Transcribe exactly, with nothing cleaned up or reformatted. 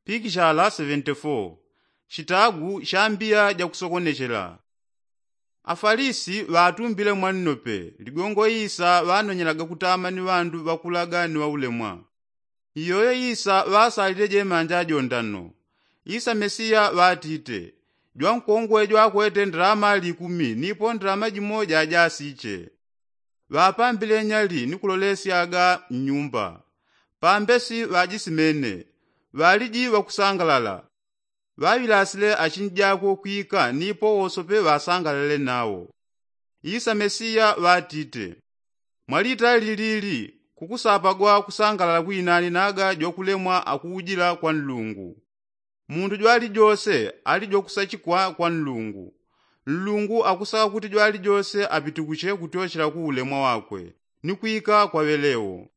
Pikishala seventy-four. Shitagu sha mbiya ja kusokonechela. Afalisi ŵatumbile mwannope ligongo isa ŵanonyelaga kutama ni ŵandu ŵakulaga ni ŵaulemwa. Iyoyo isa ŵasalile jemanja jondano. Isa mesiya ŵatite, jwankongwe jwakwete ndalama likumi nipo ndalama jimoja jasiche. Ŵapambile nyali ni kulolesyaga nnyumba. Pambesi ŵajisimene, ŵaliji ŵakusangalala. Ŵaŵilasile achinjakwe kwika nipo wosope ŵasangalale nawo. Isa mesiya ŵatite, mwalitali lilili kukusapagwa kusangalala kwinani naga jwakulemwa akuujila kwa nlungu. Mundu jwalijose ali jwakusachikwa kwa nlungu. Nlungu akusaka kuti jwalijose apitikuche kutyochela ku ulemwa wakwe ni kwika kwa ŵelewo.